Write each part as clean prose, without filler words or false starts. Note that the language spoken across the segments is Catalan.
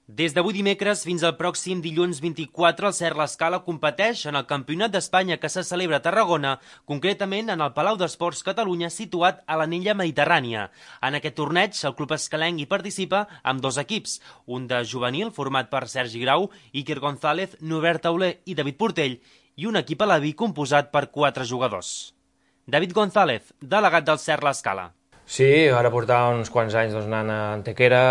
Des d'avui dimecres fins al pròxim dilluns 24, el Cert l'Escala competeix en el Campionat d'Espanya que se celebra a Tarragona, concretament en el Palau d'Esports Catalunya, situat a l'Anella Mediterrània. En aquest torneig, el club escalenc hi participa amb dos equips, un de juvenil format per Sergi Grau, Iker González, Norbert Tauler i David Portell, i un equip alaví composat per 4 jugadors. David González, delegat del Cert l'Escala. Sí, ara portava uns quants anys anant a Antequera,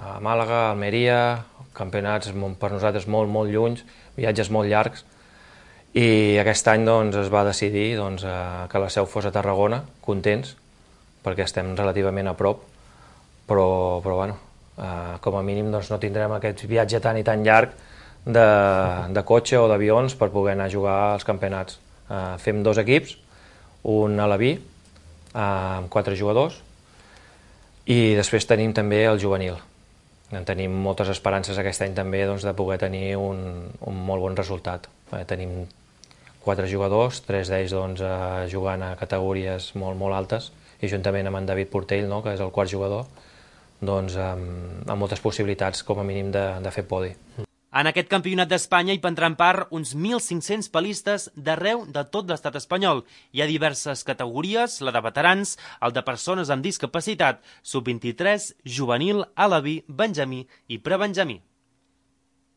a Màlaga, a Almeria, campionats per nosaltres molt llunys, viatges molt llargs, i aquest any es va decidir que la seu fos a Tarragona, contents, perquè estem relativament a prop, però bueno, com a mínim no tindrem aquest viatge tan i tan llarg de cotxe o d'avions per poder anar a jugar als campionats. Fem 2 equips, un alaví, amb 4 jugadors, i després tenim també el juvenil. Tenim moltes esperances aquest any també de poder tenir un molt bon resultat. Tenim 4 jugadors, 3 d'ells jugant a categories molt altes, i juntament amb en David Portell, que és el quart jugador, amb moltes possibilitats com a mínim de fer podi. En aquest campionat d'Espanya hi prendran part uns 1.500 palistes d'arreu de tot l'estat espanyol. Hi ha diverses categories, la de veterans, el de persones amb discapacitat, sub-23, juvenil, alaví, benjamí i prebenjamí.